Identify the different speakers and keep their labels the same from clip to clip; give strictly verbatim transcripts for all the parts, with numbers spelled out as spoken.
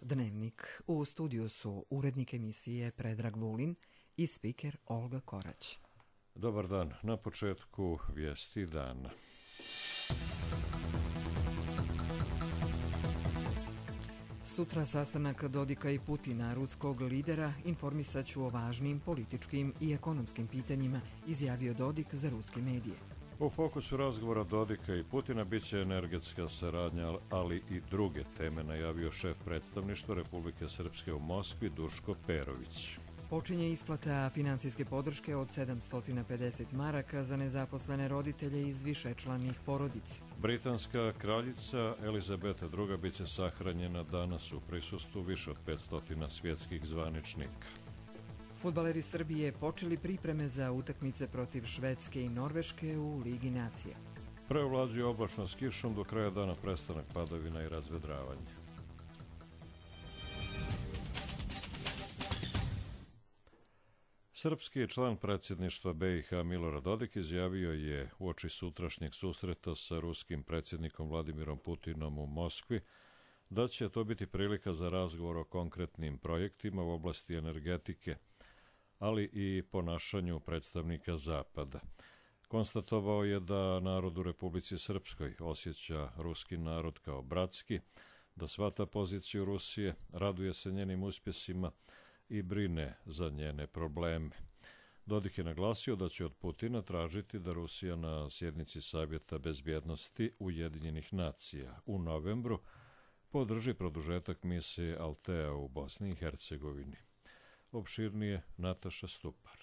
Speaker 1: Dnevnik. U studiju su urednik emisije Predrag Vulin i spiker Olga Korać.
Speaker 2: Dobar dan. Na početku vijesti dana.
Speaker 1: Sutra sastanak Dodika i Putina, ruskog lidera, informisat ću o važnim političkim i ekonomskim pitanjima, izjavio Dodik za ruske medije.
Speaker 2: U fokusu razgovora Dodika i Putina bit će energetska saradnja, ali i druge teme, najavio šef predstavništva Republike Srpske u Moskvi Duško Perović.
Speaker 1: Počinje isplata finansijske podrške od sedamsto pedeset maraka za nezaposlene roditelje iz višečlanih porodica.
Speaker 2: Britanska kraljica Elizabeta druga bit će sahranjena danas u prisustvu više od petsto svjetskih zvaničnika.
Speaker 1: Fudbaleri Srbije počeli pripreme za utakmice protiv Švedske i Norveške u Ligi nacija.
Speaker 2: Preovlađuje oblačno s kišom, do kraja dana prestanak padavina i razvedravanje. Srpski član predsjedništva B i H Milorad Dodik izjavio je uoči sutrašnjeg susreta sa ruskim predsjednikom Vladimirom Putinom u Moskvi da će to biti prilika za razgovor o konkretnim projektima u oblasti energetike, ali i ponašanju predstavnika Zapada. Konstatovao je da narod u Republici Srpskoj osjeća ruski narod kao bratski, da shvata poziciju Rusije, raduje se njenim uspjesima i brine za njene probleme. Dodik je naglasio da će od Putina tražiti da Rusija na sjednici Savjeta bezbjednosti Ujedinjenih nacija u novembru podrži produžetak misije Altea u Bosni i Hercegovini. Opširnije Nataša Stupar.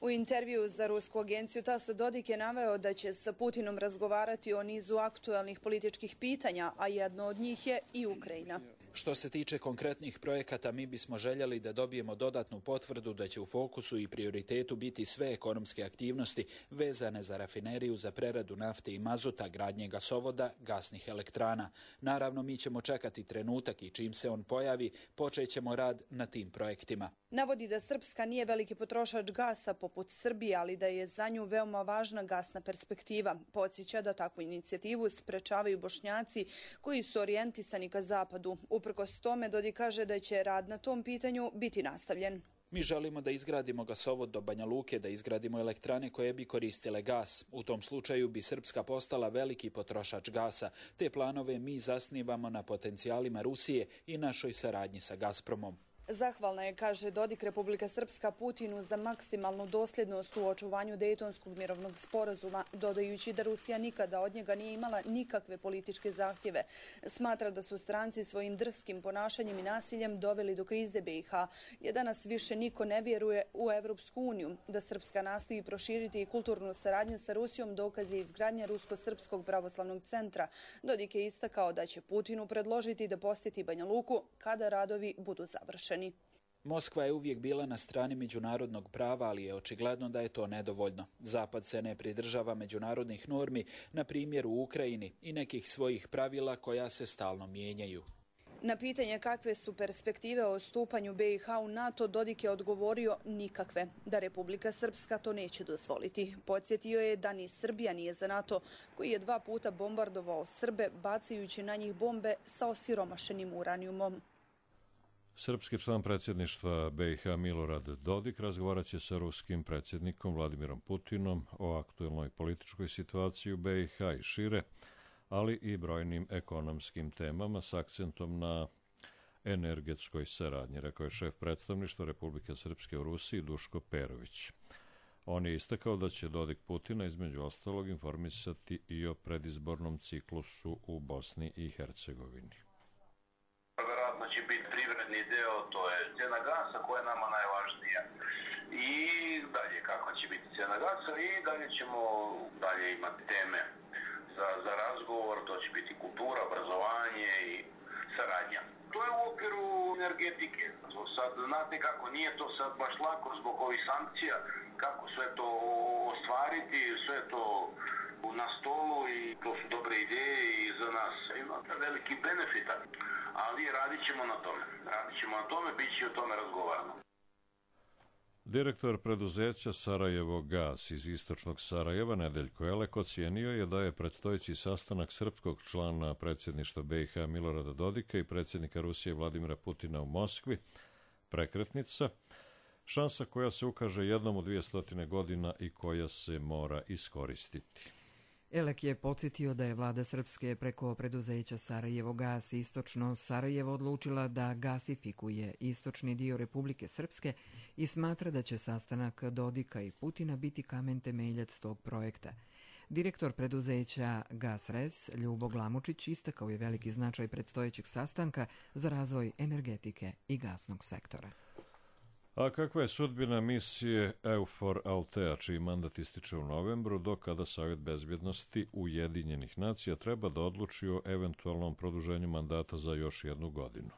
Speaker 3: U intervju za rusku agenciju TASS Dodik je naveo da će sa Putinom razgovarati o nizu aktuelnih političkih pitanja, a jedno od njih je i Ukrajina.
Speaker 4: Što se tiče konkretnih projekata, mi bismo željeli da dobijemo dodatnu potvrdu da će u fokusu i prioritetu biti sve ekonomske aktivnosti vezane za rafineriju za preradu nafte i mazuta, gradnje gasovoda, gasnih elektrana. Naravno, mi ćemo čekati trenutak i čim se on pojavi, počećemo rad na tim projektima.
Speaker 3: Navodi da Srpska nije veliki potrošač gasa poput Srbije, ali da je za nju veoma važna gasna perspektiva. Podsjeća da takvu inicijativu sprečavaju Bošnjaci koji su orijentisani ka zapadu. Uprkos tome, Dodik kaže da će rad na tom pitanju biti nastavljen.
Speaker 4: Mi želimo da izgradimo gasovod do Banja Luke, da izgradimo elektrane koje bi koristile gas. U tom slučaju bi Srpska postala veliki potrošač gasa. Te planove mi zasnivamo na potencijalima Rusije i našoj saradnji sa Gazpromom.
Speaker 3: Zahvalna je, kaže Dodik, Republika Srpska Putinu za maksimalnu dosljednost u očuvanju Dejtonskog mirovnog sporazuma, dodajući da Rusija nikada od njega nije imala nikakve političke zahtjeve. Smatra da su stranci svojim drskim ponašanjem i nasiljem doveli do krize B i H, jer danas više niko ne vjeruje u Evropsku uniju. Da Srpska nastoji proširiti i kulturnu saradnju sa Rusijom dokaz je izgradnja Rusko-Srpskog pravoslavnog centra. Dodik je istakao da će Putinu predložiti da posjeti Banja Luku kada radovi budu završeni.
Speaker 4: Moskva je uvijek bila na strani međunarodnog prava, ali je očigledno da je to nedovoljno. Zapad se ne pridržava međunarodnih normi, na primjer u Ukrajini, i nekih svojih pravila koja se stalno mijenjaju.
Speaker 3: Na pitanje kakve su perspektive o stupanju B i H u NATO, Dodik je odgovorio nikakve, da Republika Srpska to neće dozvoliti. Podsjetio je da ni Srbija nije za NATO, koji je dva puta bombardovao Srbe, bacajući na njih bombe sa osiromašenim uranijumom.
Speaker 2: Srpski član predsjedništva B i H Milorad Dodik razgovarat će sa ruskim predsjednikom Vladimirom Putinom o aktuelnoj političkoj situaciji u B i H i šire, ali i brojnim ekonomskim temama s akcentom na energetskoj saradnji, rekao je šef predstavništva Republike Srpske u Rusiji Duško Perović. On je istakao da će Dodik Putina između ostalog informisati i o predizbornom ciklusu u Bosni i Hercegovini.
Speaker 5: Vjerojatno će biti privredni deo, to je cijena gasa koja je nama najvažnija. I dalje kako će biti cijena gasa i dalje ćemo dalje imati teme za, za razgovor, to će biti kultura, obrazovanje i saradnja. To je u okviru energetike. Sad, znate kako, nije to sad baš lako zbog ovih sankcija, kako sve to ostvariti, sve to na stolu i to su dobre ideje i za nas ima veliki benefita, ali radit ćemo na tome. Radit ćemo na tome, bit će o tome razgovarano.
Speaker 2: Direktor preduzeća Sarajevo Gas iz istočnog Sarajeva, Nedeljko Elek, ocijenio je da je predstojeći sastanak srpskog člana predsjedništva B i H Milorada Dodika i predsjednika Rusije Vladimira Putina u Moskvi prekretnica, šansa koja se ukaže jednom u dvije stotine godina i koja se mora iskoristiti.
Speaker 1: Elek je podsjetio da je vlada Srpske preko preduzeća Sarajevo Gas istočno Sarajevo odlučila da gasifikuje istočni dio Republike Srpske i smatra da će sastanak Dodika i Putina biti kamen temeljac tog projekta. Direktor preduzeća Gasres Ljubo Glamučić istakao je veliki značaj predstojećeg sastanka za razvoj energetike i gasnog sektora.
Speaker 2: A kakva je sudbina misije EUFOR Altea, čiji mandat ističe u novembru, do kada Savjet bezbjednosti Ujedinjenih nacija treba da odluči o eventualnom produženju mandata za još jednu godinu?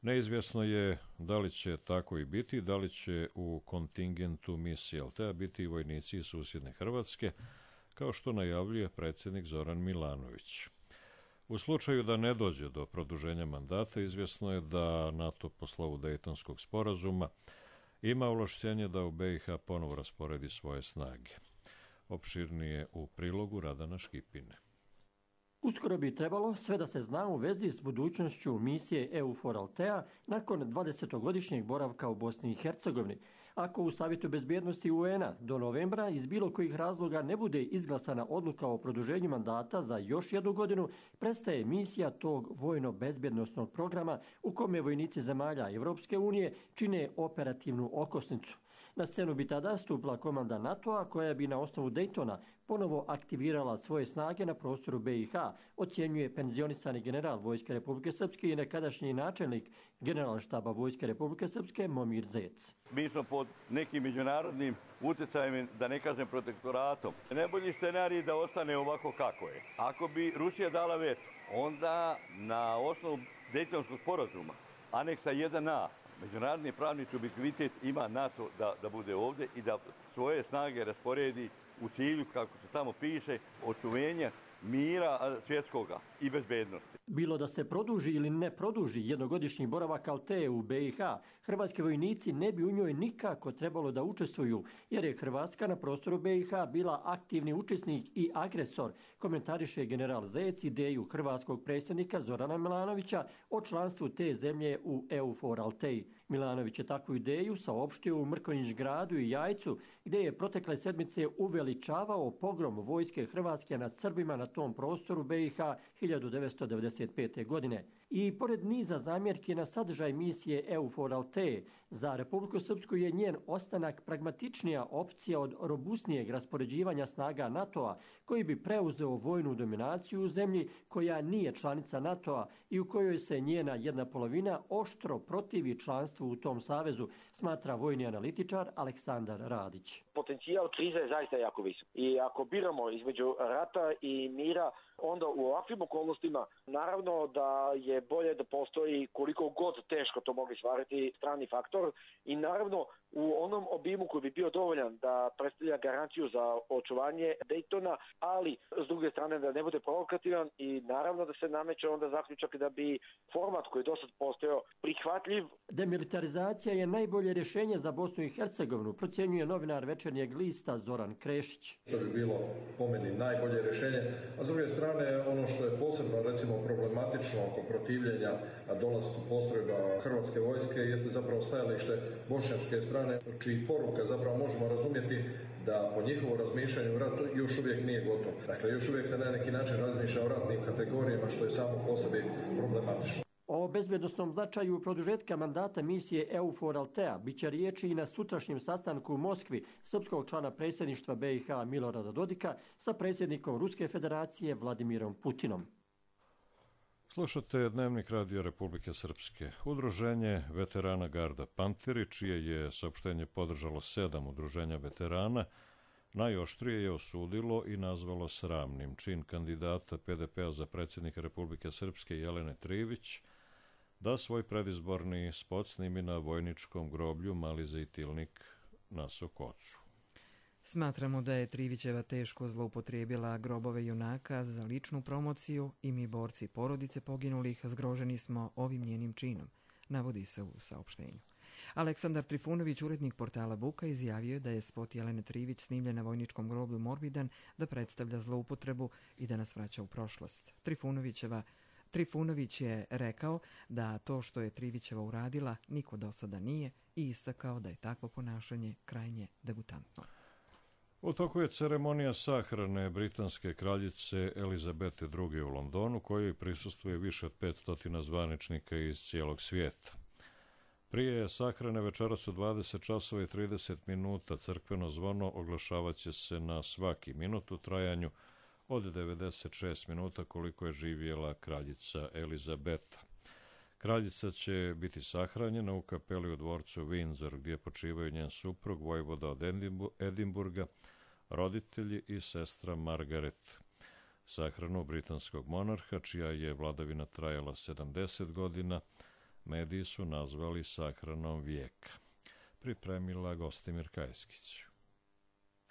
Speaker 2: Neizvjesno je da li će tako i biti, da li će u kontingentu misije Altea biti i vojnici iz susjedne Hrvatske, kao što najavljuje predsjednik Zoran Milanović. U slučaju da ne dođe do produženja mandata, izvjesno je da NATO po slovu Dejtonskog sporazuma ima ovlašćenje da u B i H ponovo rasporedi svoje snage. Opširnije u prilogu Radana Škipine.
Speaker 6: Uskoro bi trebalo sve da se zna u vezi s budućnošću misije EUFOR Altea nakon dvadesetogodišnjeg boravka u Bosni i Hercegovini. Ako u Savjetu bezbjednosti U N a do novembra iz bilo kojih razloga ne bude izglasana odluka o produženju mandata za još jednu godinu, prestaje misija tog vojno-bezbjednostnog programa u kome vojnici zemalja Evropske unije čine operativnu okosnicu. Na scenu bi tada stupila komanda NATO-a koja bi na osnovu Daytona ponovo aktivirala svoje snage na prostoru B i H, ocjenjuje penzionisani general Vojske Republike Srpske i nekadašnji načelnik Generalštaba Vojske Republike Srpske Momir Zec.
Speaker 7: Mi smo pod nekim međunarodnim utjecajem, da ne kažem protektoratom. Najbolji scenarij je da ostane ovako kako je. Ako bi Rusija dala veto, onda na osnovu Dejtonskog sporazuma, aneksa jedan a, međunarodni pravni subjektivitet ima NATO da, da bude ovdje i da svoje snage rasporedi u cilju, kako se tamo piše, očuvenja mira svjetskoga i bezbednosti.
Speaker 6: Bilo da se produži ili ne produži jednogodišnji boravak Altee u B i H, hrvatski vojnici ne bi u njoj nikako trebalo da učestvuju, jer je Hrvatska na prostoru B i H bila aktivni učesnik i agresor, komentariše general Zec ideju hrvatskog predsjednika Zorana Milanovića o članstvu te zemlje u EUFOR Alteji. Milanović je takvu ideju saopštio u Mrkonjić gradu i Jajcu, gdje je protekle sedmice uveličavao pogrom vojske Hrvatske nad Srbima na tom prostoru B i H hiljadu devetsto devedeset pete. godine. I pored niza zamjerki na sadržaj misije EUFOR Altea, za Republiku Srpsku je njen ostanak pragmatičnija opcija od robustnijeg raspoređivanja snaga NATO-a, koji bi preuzeo vojnu dominaciju u zemlji koja nije članica NATO-a i u kojoj se njena jedna polovina oštro protivi članstvu u tom savezu, smatra vojni analitičar Aleksandar Radić.
Speaker 8: Potencijal krize je zaista jako visok. I ako biramo između rata i mira, onda u ovakvim okolnostima naravno da je bolje da postoji koliko god teško to mogli stvariti strani faktor i naravno u onom obimu koji bi bio dovoljan da predstavlja garanciju za očuvanje Daytona, ali s druge strane da ne bude provokativan i naravno da se nameće onda zaključak da bi format koji je dosad postojao prihvatljiv.
Speaker 6: Demilitarizacija je najbolje rješenje za Bosnu i Hercegovinu, procjenjuje novinar Večernjeg lista Zoran Krešić.
Speaker 9: To bi bilo po meni najbolje rješenje, a s druge strane ono što je posebno recimo problematično oko protivljenja dolasku postrojba hrvatske vojske jeste zapravo stajalište bošnjačke strane, čiji poruka zapravo možemo razumjeti da po njihovom razmišljanju rat još uvijek nije gotov. Dakle, još uvijek se na neki način razmišlja o ratnim kategorijama, što je samo po sebi problematično.
Speaker 6: O bezbjednostnom značaju produžetka mandata misije EUFOR Altea biće riječi i na sutrašnjem sastanku u Moskvi srpskog člana predsjedništva B i H Milorada Dodika sa predsjednikom Ruske federacije Vladimirom Putinom.
Speaker 2: Slušate Dnevnik Radio Republike Srpske. Udruženje veterana Garda Panteri, čije je saopštenje podržalo sedam udruženja veterana, najoštrije je osudilo i nazvalo sramnim čin kandidata P D P-a za predsjednika Republike Srpske Jelene Trivić da svoj predizborni spot snimi na vojničkom groblju Mali Zejtilnik na Sokocu.
Speaker 1: Smatramo da je Trivićeva teško zloupotrijebila grobove junaka za ličnu promociju i mi borci porodice poginulih zgroženi smo ovim njenim činom, navodi se u saopštenju. Aleksandar Trifunović, urednik portala Buka, izjavio je da je spot Jelene Trivić snimljen na vojničkom groblju Morbidan da predstavlja zloupotrebu i da nas vraća u prošlost. Trifunovićeva Trifunović je rekao da to što je Trivićeva uradila niko do sada nije i istakao da je takvo ponašanje krajnje degutantno.
Speaker 2: U toku je ceremonija sahrane britanske kraljice Elizabete druge. u Londonu, kojoj prisustvuje više od petsto zvaničnika iz cijelog svijeta. Prije sahrane večeras u dvadeset časova i trideset minuta crkveno zvono oglašavaće se na svaki minut u trajanju od devedeset šest minuta koliko je živjela kraljica Elizabeta. Kraljica će biti sahranjena u kapeli u dvorcu Windsor, gdje počivaju njen suprug, vojvoda od Edimburga, roditelji i sestra Margaret. Sahranu britanskog monarha, čija je vladavina trajala sedamdeset godina, mediji su nazvali sahranom vijeka. Pripremila Gostimir Kajskić.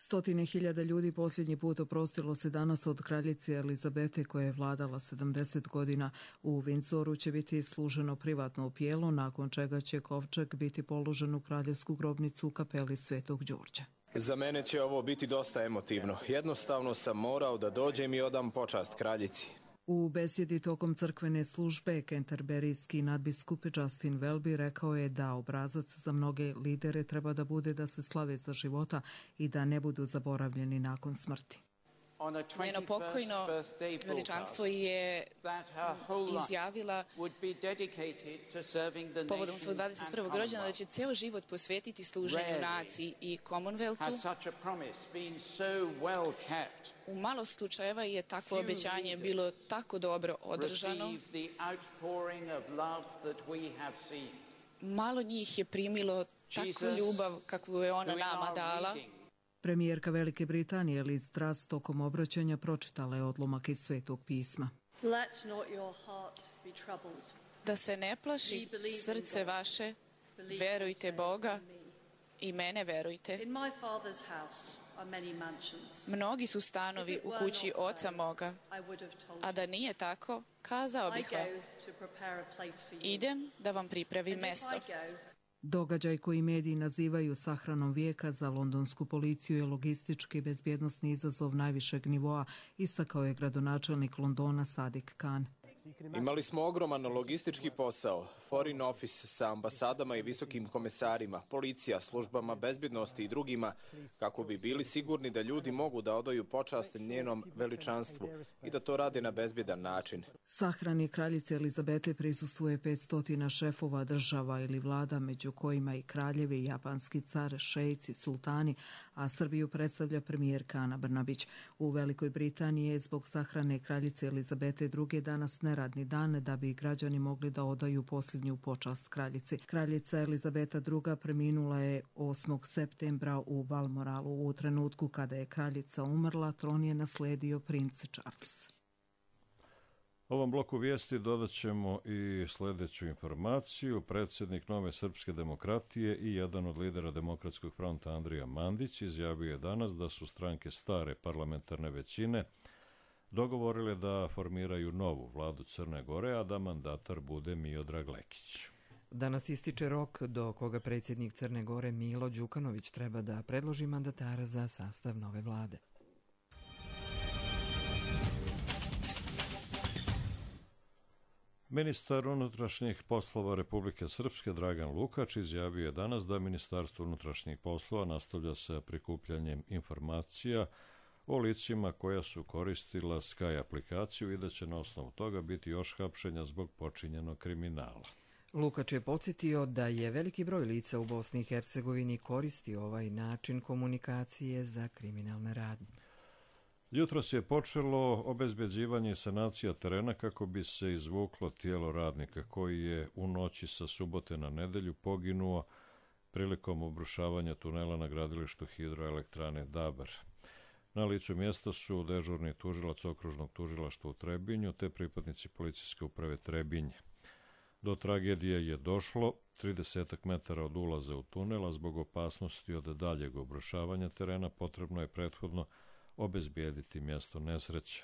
Speaker 10: Stotine hiljada ljudi posljednji put oprostilo se danas od kraljice Elizabete koja je vladala sedamdeset godina. U Windsoru će biti služeno privatno opijelo, nakon čega će kovčeg biti položen u kraljevsku grobnicu u kapeli Svetog Đurđa.
Speaker 11: Za mene će ovo biti dosta emotivno. Jednostavno sam morao da dođem i odam počast kraljici.
Speaker 10: U besjedi tokom crkvene službe kenterberijski nadbiskup Justin Welby rekao je da obrazac za mnoge lidere treba da bude da se slave za života i da ne budu zaboravljeni nakon smrti.
Speaker 12: Njeno pokojno veličanstvo je izjavila povodom svog dvadeset prvog rođendana da će ceo život posvetiti služenju naciji i Commonwealthu. U malo slučajeva je takvo obećanje bilo tako dobro održano. Malo njih je primilo takvu ljubav kakvu je ona nama dala.
Speaker 10: Premijerka Velike Britanije Liz Truss tokom obraćanja pročitala je odlomak iz Svetog pisma.
Speaker 12: Da se ne plaši srce vaše, verujte Boga i mene verujte. Mnogi su stanovi u kući oca moga, a da nije tako, kazao bih vam, idem da vam pripravim mesto.
Speaker 10: Događaj koji mediji nazivaju sahranom vijeka za londonsku policiju je logistički i bezbjednosni izazov najvišeg nivoa, istakao je gradonačelnik Londona Sadiq Khan.
Speaker 11: Imali smo ogroman logistički posao, foreign office sa ambasadama i visokim komesarima, policija, službama bezbjednosti i drugima, kako bi bili sigurni da ljudi mogu da odaju počast njenom veličanstvu i da to rade na bezbjedan način.
Speaker 10: Sahrani kraljice Elizabete prisustvuje petsto šefova država ili vlada, među kojima i kraljevi, japanski car, šejci, sultani, a Srbiju predstavlja premijerka Ana Brnabić. U Velikoj Britaniji je zbog sahrane kraljice Elizabete druge danas neradni dan da bi građani mogli da odaju posljednju počast kraljici. Kraljica Elizabeta druga. preminula je osmog septembra u Balmoralu. U trenutku kada je kraljica umrla, tron je nasledio princ Charles.
Speaker 2: Ovom bloku vijesti dodat ćemo i sljedeću informaciju. Predsjednik Nove srpske demokratije i jedan od lidera Demokratskog fronta Andrija Mandić izjavio je danas da su stranke stare parlamentarne većine dogovorile da formiraju novu vladu Crne Gore, a da mandatar bude Miodrag Lekić.
Speaker 1: Danas ističe rok do koga predsjednik Crne Gore Milo Đukanović treba da predloži mandatara za sastav nove vlade.
Speaker 2: Ministar unutrašnjih poslova Republike Srpske Dragan Lukač izjavio je danas da Ministarstvo unutrašnjih poslova nastavlja sa prikupljanjem informacija o licima koja su koristila Sky aplikaciju i da će na osnovu toga biti još hapšenja zbog počinjenog kriminala.
Speaker 1: Lukač je podsjetio da je veliki broj lica u Bosni i Hercegovini koristi ovaj način komunikacije za kriminalne radnje.
Speaker 2: Jutros je počelo obezbeđivanje i sanacija terena kako bi se izvuklo tijelo radnika koji je u noći sa subote na nedelju poginuo prilikom obrušavanja tunela na gradilištu hidroelektrane Dabar. Na licu mjesta su dežurni tužilac okružnog tužilaštva u Trebinju te pripadnici policijske uprave Trebinje. Do tragedije je došlo trideset metara od ulaza u tunel, a zbog opasnosti od daljeg obrušavanja terena potrebno je prethodno obezbijediti mjesto nesreće.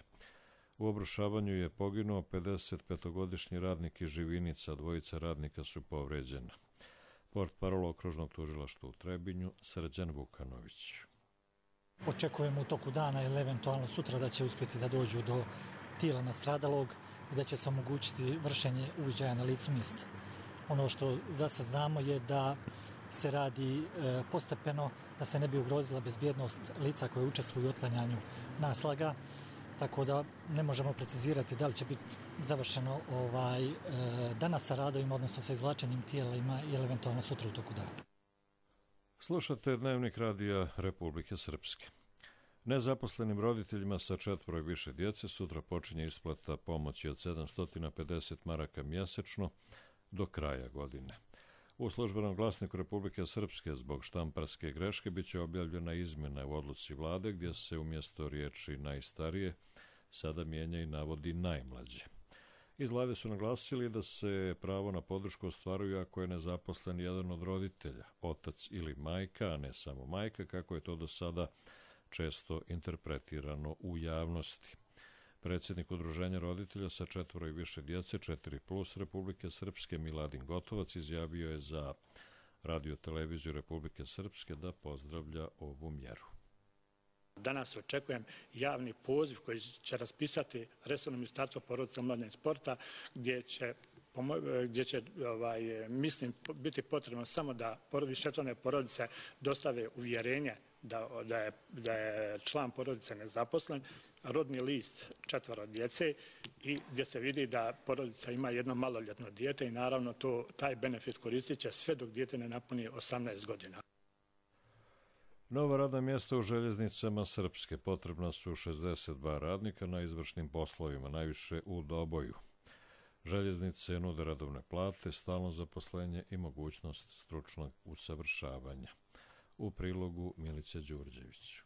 Speaker 2: U obrušavanju je poginuo pedesetpetogodišnji radnik iz Živinica, dvojica radnika su povređena. Portparol okružnog tužilaštva u Trebinju, Srđan Vukanović.
Speaker 13: Očekujemo u toku dana ili eventualno sutra da će uspjeti da dođu do tijela nastradalog i da će se omogućiti vršenje uviđaja na licu mjesta. Ono što za sad znamo je da se radi e, postepeno, da se ne bi ugrozila bezbjednost lica koje učestvuju u otklanjanju naslaga, tako da ne možemo precizirati da li će biti završeno ovaj, e, danas sa radovima, odnosno sa izvlačenjem tijelima ili eventualno sutra u toku dana.
Speaker 2: Slušate Dnevnik radija Republike Srpske. Nezaposlenim roditeljima sa četvoro i više djece sutra počinje isplata pomoći od sedamsto pedeset maraka mjesečno do kraja godine. U službenom glasniku Republike Srpske zbog štamparske greške bit će objavljena izmjena u odluci vlade gdje se umjesto riječi najstarije sada mijenja i navodi najmlađe. Iz vlade su naglasili da se pravo na podršku ostvaruje ako je nezaposlen jedan od roditelja, otac ili majka, a ne samo majka, kako je to do sada često interpretirano u javnosti. Predsjednik Udruženja roditelja sa četvoro i više djece, četiri plus Republike Srpske, Miladin Gotovac, izjavio je za radio televiziju Republike Srpske da pozdravlja ovu mjeru.
Speaker 14: Danas očekujem javni poziv koji će raspisati resorno ministarstvo porodice, mladine i sporta, gdje će, gdje će ovaj, mislim, biti potrebno samo da višečlane porodice dostave uvjerenje Da, da, je, da je član porodice nezaposlen, rodni list četvoro djece i gdje se vidi da porodica ima jedno maloljetno dijete i naravno to, taj benefit koristit će sve dok dijete ne napuni osamnaest godina.
Speaker 2: Nova radna mjesta u željeznicama Srpske. Potrebna su šezdeset dva radnika na izvršnim poslovima, najviše u Doboju. Željeznice nude radovne plate, stalno zaposlenje i mogućnost stručnog usavršavanja. U prilogu Milica Đurđević.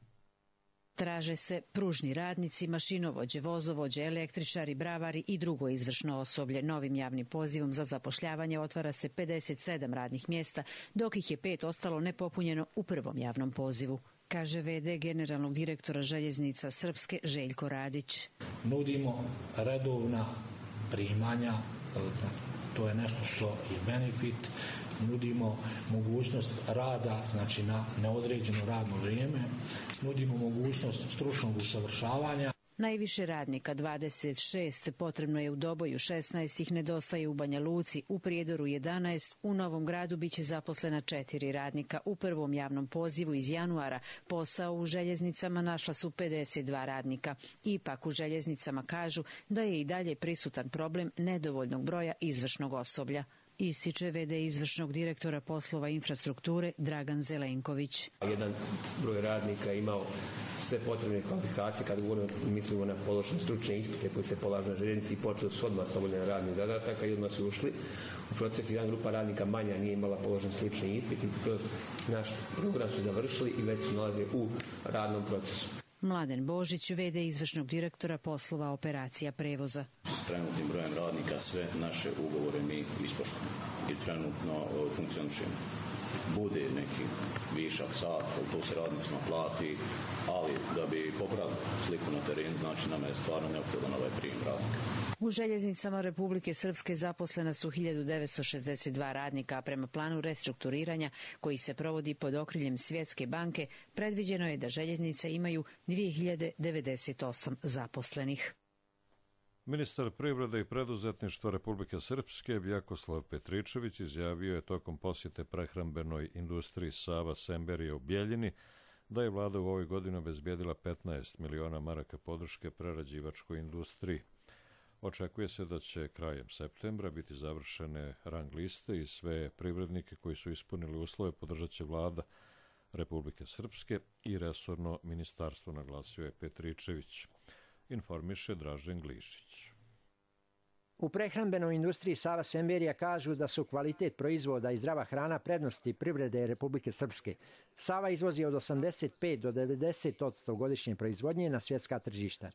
Speaker 15: Traže se pružni radnici, mašinovođe, vozovođe, električari, bravari i drugo izvršno osoblje. Novim javnim pozivom za zapošljavanje otvara se pedeset sedam radnih mjesta, dok ih je pet ostalo nepopunjeno u prvom javnom pozivu, kaže ve de generalnog direktora željeznica Srpske Željko Radić.
Speaker 16: Nudimo redovna primanja, to je nešto što je benefit. Nudimo mogućnost rada, znači na neodređeno radno vrijeme, nudimo mogućnost stručnog usavršavanja.
Speaker 15: Najviše radnika, dvadeset šest, potrebno je u Doboju, šesnaest ih nedostaje u Banja Luci, u Prijedoru jedanaest, u Novom Gradu biće zaposlena četiri radnika. U prvom javnom pozivu iz januara posao u željeznicama našla su pedeset dva radnika. Ipak u željeznicama kažu da je i dalje prisutan problem nedovoljnog broja izvršnog osoblja. Ističe ve de izvršnog direktora poslova infrastrukture Dragan Zelenković.
Speaker 17: Jedan broj radnika imao sve potrebne kvalifikacije, kada govorimo, mislimo na položene stručne ispite koji se polažu na željeznici i počeli su odmah s obavljanjem radnih zadataka i odmah su ušli. U procesu jedan grupa radnika manja nije imala položen stručni ispit i kroz naš program su završili i već se nalaze u radnom procesu.
Speaker 15: Mladen Božić, ve de izvršnog direktora poslova operacija prevoza.
Speaker 18: S trenutnim brojem radnika sve naše ugovore mi ispoštujemo i trenutno funkcionišemo. Bude neki višak sat, to se radnicima plati, ali da bi popravili sliku na terenu, znači nam je stvarno neophodan ovaj prijem radnika.
Speaker 15: U željeznicama Republike Srpske zaposlena su hiljadu devetsto šezdeset dva radnika, a prema planu restrukturiranja koji se provodi pod okriljem Svjetske banke, predviđeno je da željeznice imaju dvije hiljade devedeset osam zaposlenih.
Speaker 2: Ministar privrede i preduzetništva Republike Srpske Vjakoslav Petričević izjavio je tokom posjete prehrambenoj industriji Sava Semberija u Bjeljini da je vlada u ovoj godini obezbijedila petnaest miliona maraka podrške prerađivačkoj industriji. Očekuje se da će krajem septembra biti završene rang liste i sve privrednike koji su ispunili uslove podržat će vlada Republike Srpske i resorno ministarstvo, naglasio je Petričević. Informiše Dražen Glišić.
Speaker 19: U prehrambenoj industriji Sava Semberija kažu da su kvalitet proizvoda i zdrava hrana prednosti privrede Republike Srpske. Sava izvozi od osamdeset pet do devedeset posto godišnje proizvodnje na svjetska tržišta.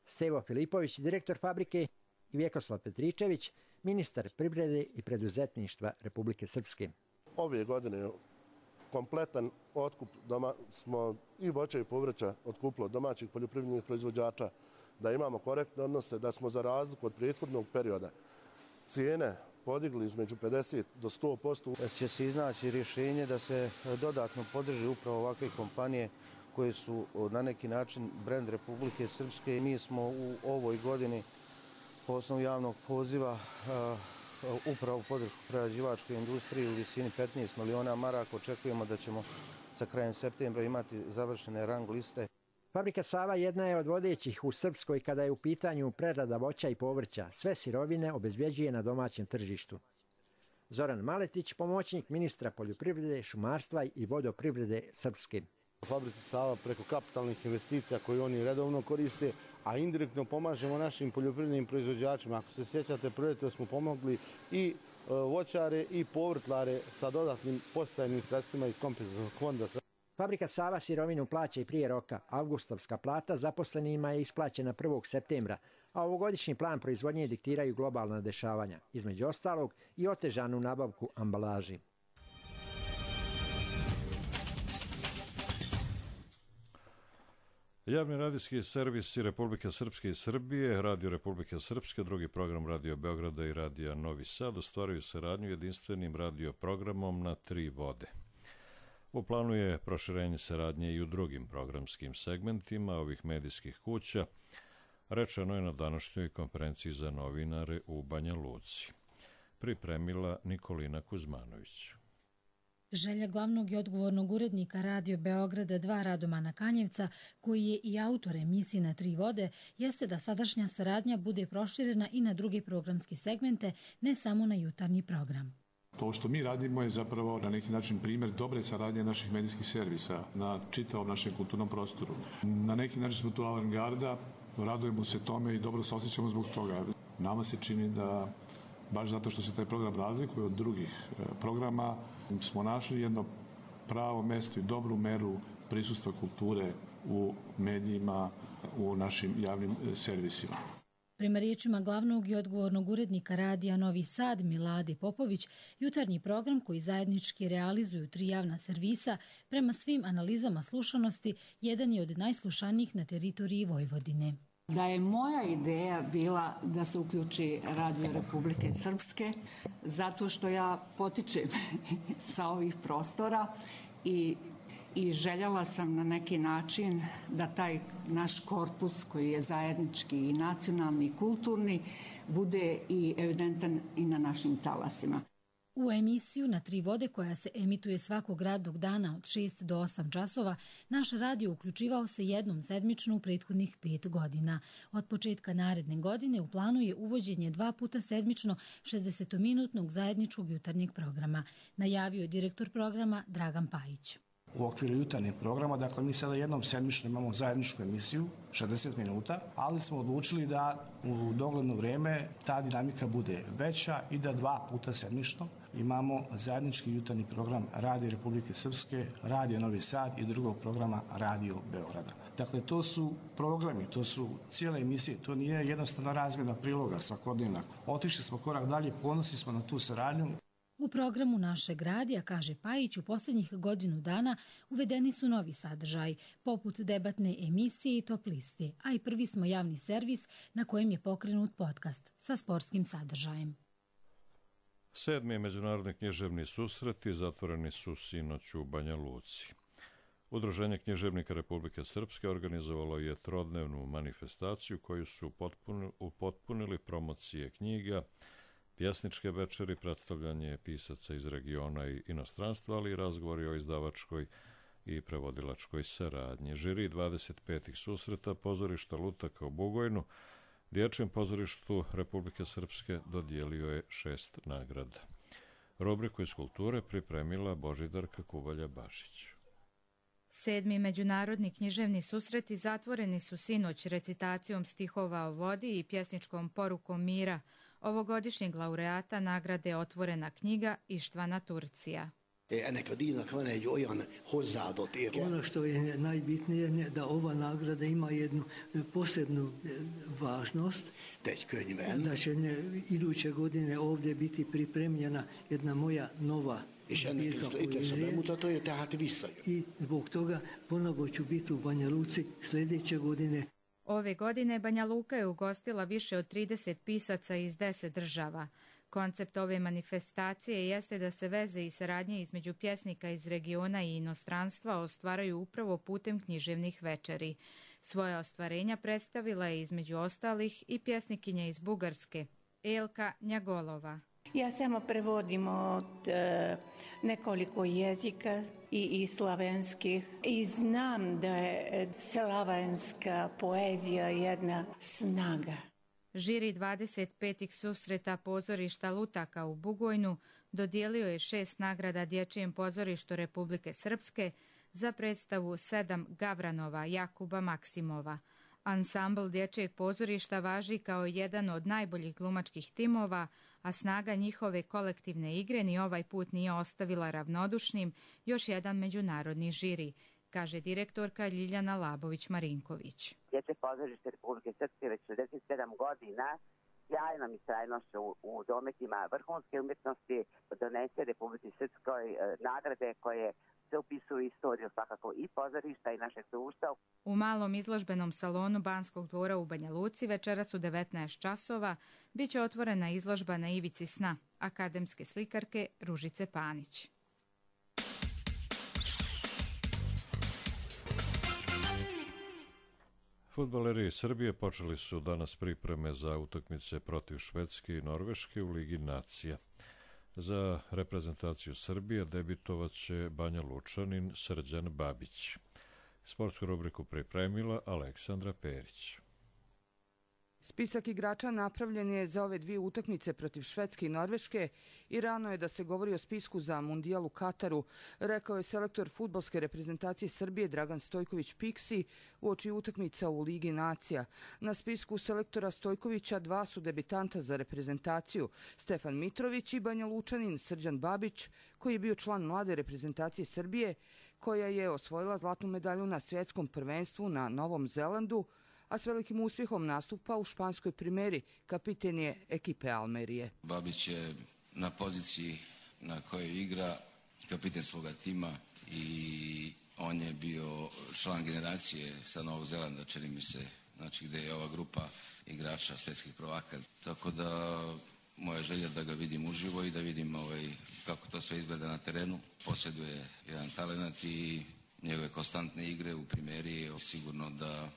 Speaker 19: Stevo Filipović, direktor fabrike, i Vjekoslav Petričević, ministar privrede i preduzetništva Republike Srpske.
Speaker 20: Ove godine kompletan otkup doma smo i voća i povrća otkupilo domaćih poljoprivrednih proizvođača, da imamo korektne odnose, da smo za razliku od prethodnog perioda cijene podigli između pedeset do sto posto.
Speaker 21: Će se iznaći rješenje da se dodatno podrži upravo ovakve kompanije koje su na neki način brend Republike Srpske. Mi smo u ovoj godini po osnovu javnog poziva upravo podršku prerađivačkoj industriji u visini petnaest miliona maraka. Očekujemo da ćemo sa krajem septembra imati završene rang liste.
Speaker 19: Fabrika Sava jedna je od vodećih u Srpskoj kada je u pitanju prerada voća i povrća. Sve sirovine obezbjeđuje na domaćem tržištu. Zoran Maletić, pomoćnik ministra poljoprivrede, šumarstva i vodoprivrede Srpske.
Speaker 22: U fabrici Sava preko kapitalnih investicija koje oni redovno koriste, a indirektno pomažemo našim poljoprivrednim proizvođačima. Ako se sjećate, proljetos smo pomogli i voćare i povrtlare sa dodatnim podsticajnim sredstvima iz kompenzacionog fonda.
Speaker 19: Fabrika Sava sirovinu plaća i prije roka. Avgustovska plata zaposlenima je isplaćena prvog septembra, a ovogodišnji plan proizvodnje diktiraju globalna dešavanja, između ostalog i otežanu nabavku ambalaži.
Speaker 2: Javni radijski servisi Republike Srpske i Srbije, Radio Republike Srpske, drugi program Radio Beograda i Radija Novi Sad ostvaruju saradnju jedinstvenim radio programom na tri vode. U planu je proširenje saradnje i u drugim programskim segmentima ovih medijskih kuća, rečeno je na današnjoj konferenciji za novinare u Banja Luci. Pripremila Nikolina Kuzmanović.
Speaker 23: Želja glavnog i odgovornog urednika Radio Beograda dva Radomana Kanjevca, koji je i autor emisije Na tri vode, jeste da sadašnja saradnja bude proširena i na druge programske segmente, ne samo na jutarnji program.
Speaker 24: To što mi radimo je zapravo na neki način primjer dobre saradnje naših medijskih servisa na čitavom našem kulturnom prostoru. Na neki način smo tu avangarda, radujemo se tome i dobro se osjećamo zbog toga. Nama se čini da, baš zato što se taj program razlikuje od drugih programa, smo našli jedno pravo mesto i dobru meru prisustva kulture u medijima, u našim javnim servisima.
Speaker 23: Prema riječima glavnog i odgovornog urednika Radija Novi Sad Milade Popović, jutarnji program koji zajednički realizuju tri javna servisa, prema svim analizama slušanosti, jedan je od najslušanijih na teritoriji Vojvodine.
Speaker 25: Da je moja ideja bila da se uključi Radio Republike Srpske, zato što ja potičem sa ovih prostora i i željela sam na neki način da taj naš korpus koji je zajednički i nacionalni i kulturni bude i evidentan i na našim talasima.
Speaker 23: U emisiju Na tri vode, koja se emituje svakog radnog dana od šest do osam časova, naš radio uključivao se jednom sedmično u prethodnih pet godina. Od početka naredne godine u planu je uvođenje dva puta sedmično šezdesetminutnog zajedničkog jutarnjeg programa, najavio je direktor programa Dragan Pajić.
Speaker 26: U okviru jutarnjeg programa, dakle mi sada jednom sedmično imamo zajedničku emisiju, šezdeset minuta, ali smo odlučili da u dogledno vrijeme ta dinamika bude veća i da dva puta sedmično imamo zajednički jutarnji program Radio Republike Srpske, Radio Novi Sad i drugog programa Radio Beograda. Dakle, to su programi, to su cijele emisije, to nije jednostavno razmjena priloga svakodnevna. Otišli smo korak dalje, ponosni smo na tu saradnju.
Speaker 23: U programu našeg radija, kaže Pajić, u posljednjih godinu dana uvedeni su novi sadržaj, poput debatne emisije i top liste, a i prvi smo javni servis na kojem je pokrenut podcast sa sportskim sadržajem.
Speaker 2: Sedmi međunarodni književni susreti zatvoreni su sinoć u Banja Luci. Udruženje književnika Republike Srpske organizovalo je trodnevnu manifestaciju koju su upotpunili promocije knjiga, pjesničke večeri, predstavljanje pisaca iz regiona i inostranstva, ali i razgovori o izdavačkoj i prevodilačkoj saradnji. Žiri dvadeset petih susreta pozorišta Lutaka u Bugojnu Dječjem pozorištu Republike Srpske dodijelio je šest nagrada. Rubriku iz kulture pripremila Božidarka Kubalja-Bašić.
Speaker 27: Sedmi međunarodni književni susreti zatvoreni su sinoć recitacijom stihova o vodi i pjesničkom porukom mira ovogodišnjeg laureata nagrade Otvorena knjiga Ištvana Turcija.
Speaker 28: Ono što je najbitnije da ova nagrada ima jednu posebnu važnost, da će iduće godine ovdje biti pripremljena jedna moja nova zbirka poezije i zbog toga ponovo ću biti u Banja Luci sljedeće godine.
Speaker 27: Ove godine Banja Luka je ugostila više od trideset pisaca iz deset država. Koncept ove manifestacije jeste da se veze i saradnje između pjesnika iz regiona i inostranstva ostvaraju upravo putem književnih večeri. Svoja ostvarenja predstavila je između ostalih i pjesnikinja iz Bugarske, Elka Njagolova.
Speaker 3: Ja samo prevodim od e, nekoliko jezika i, i slavenskih i znam da je slavenska poezija jedna snaga.
Speaker 27: Žiri dvadeset petih susreta pozorišta Lutaka u Bugojnu dodijelio je šest nagrada Dječjem pozorištu Republike Srpske za predstavu Sedam Gavranova Jakuba Maksimova. Ansambl Dječjeg pozorišta važi kao jedan od najboljih glumačkih timova, a snaga njihove kolektivne igre ni ovaj put nije ostavila ravnodušnim još jedan međunarodni žiri, kaže direktorka Ljiljana Labović-Marinković.
Speaker 4: Dječje pozorište Republike Srpske već šezdeset sedam godina sjajnom istrajnošću u, u dometima vrhunske umjetnosti donese Republici Srpskoj e, nagrade koje se upisuju istoriju svakako i pozorišta i našeg društva.
Speaker 27: U malom izložbenom salonu Banskog dvora u Banja Luci večeras u devetnaest časova bit će otvorena izložba Na ivici sna akademske slikarke Ružice Panić.
Speaker 2: Fudbaleri Srbije počeli su danas pripreme za utakmice protiv Švedske i Norveške u Ligi nacija. Za reprezentaciju Srbije debitovaće Banja Lučanin Srđan Babić. Sportsku rubriku pripremila Aleksandra Perić.
Speaker 5: Spisak igrača napravljen je za ove dvije utakmice protiv Švedske i Norveške i rano je da se govori o spisku za Mundijal u Kataru, rekao je selektor fudbalske reprezentacije Srbije Dragan Stojković Piksi uoči utakmica u Ligi nacija. Na spisku selektora Stojkovića dva su debitanta za reprezentaciju, Stefan Mitrović i Banja Lučanin Srđan Babić, koji je bio član mlade reprezentacije Srbije, koja je osvojila zlatnu medalju na svjetskom prvenstvu na Novom Zelandu, a s velikim uspjehom nastupa u španskoj primeri, kapiten je ekipe Almerije.
Speaker 6: Babić je na poziciji na kojoj igra kapiten svoga tima i on je bio član generacije sa Novog Zelanda, čini mi se, znači gdje je ova grupa igrača svjetskih prvaka. Tako da moja želja da ga vidim uživo i da vidim ovaj, kako to sve izgleda na terenu. Posjeduje jedan talent i njegove konstantne igre u primjeri je sigurno da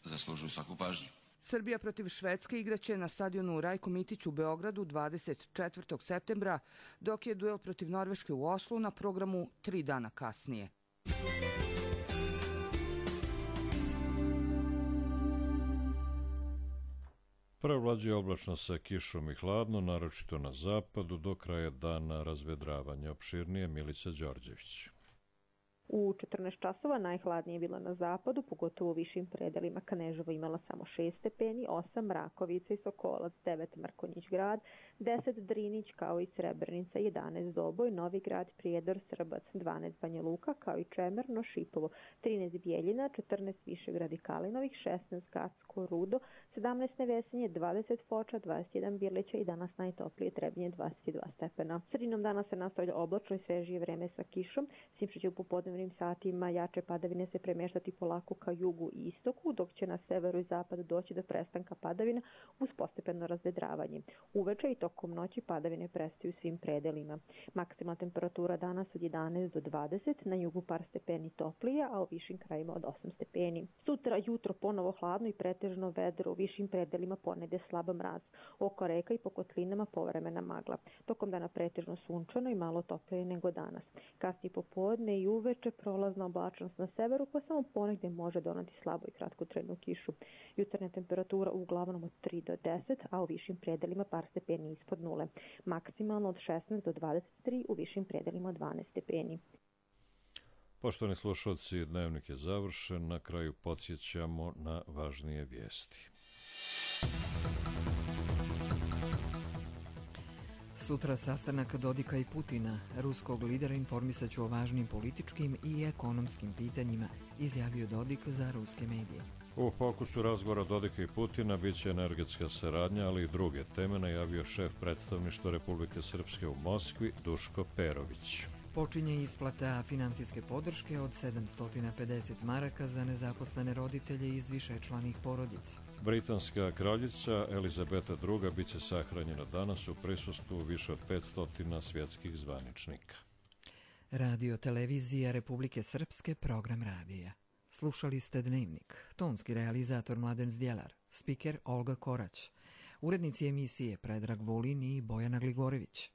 Speaker 6: zaslužuju svaku pažnju.
Speaker 5: Srbija protiv Švedske igraće na stadionu Rajko Mitić u Beogradu dvadeset četvrtog septembra, dok je duel protiv Norveške u Oslu na programu tri dana kasnije.
Speaker 2: Prevlađuje oblačno sa kišom i hladno, naročito na zapadu, do kraja dana razvedravanje. Opširnije Milica Đorđević.
Speaker 7: U četrnaest časova najhladnije je bilo na zapadu, pogotovo u višim predelima. Kneževo imala samo šest stepeni, osam Rakovica i Sokolac, devet Mrkonjić grad, deset Drinić kao i Srebrenica, jedanaest Doboj, Novi grad, Prijedor, Srbac, dvanaest Banja Luka kao i Čemerno, Šipovo, trinaest Bijeljina, četrnaest Višegrad i Kalinovih, šesnaest Gacko, Rudo, sedamnaest Nevesinje, dvadeset Foča, dvadeset jedan Birlića i danas najtoplije Trebinje dvadeset dva stepena. Sredinom dana se nastavlja oblačno i svežije vreme sa kišom, s će u popodnevnim satima jače padavine se premeštati polako ka jugu i istoku, dok će na severu i zapadu doći do prestanka padavina uz postepeno razvedravanje. Uveče i tokom noći padavine prestaju svim predelima. Maksimalna temperatura danas od jedanaest do dvadeset, na jugu par stepeni toplije, a u višim krajima od osam stepeni. Sutra jutro ponovo hladno i pretežno vedro, u višim predelima ponede slaba mraz. Oko reka i po kotlinama povremena magla. Tokom dana pretežno sunčano i malo toplije nego danas. Kasnije popodne i uveče prolazna oblačnost na severu, pa samo ponegdje može donati slabo i kratkotrajnu kišu. Jutarnja temperatura uglavnom od tri do deset, a u višim predelima par stepeni ispod nule. Maksimalno od šesnaest do dvadeset tri, u višim predelima dvanaest stepeni.
Speaker 2: Poštovani slušalci, dnevnik je završen. Na kraju podsjećamo na važnije vijesti.
Speaker 1: Sutra sastanak Dodika i Putina. Ruskog lidera informisat ću o važnim političkim i ekonomskim pitanjima, izjavio Dodik za ruske medije.
Speaker 2: U fokusu razgovora Dodika i Putina biće energetska saradnja, ali i druge teme, najavio šef predstavništva Republike Srpske u Moskvi Duško Perović.
Speaker 1: Počinje isplata financijske podrške od sedamsto pedeset maraka za nezaposlene roditelje iz višečlanih porodica.
Speaker 2: Britanska kraljica Elizabeta druga bit će sahranjena danas u prisustvu više od petsto svjetskih zvaničnika.
Speaker 1: Radio televizija Republike Srpske, program radija. Slušali ste Dnevnik, tonski realizator Mladen Zdjelar, spiker Olga Korać, urednici emisije Predrag Vulin i Bojana Gligorević.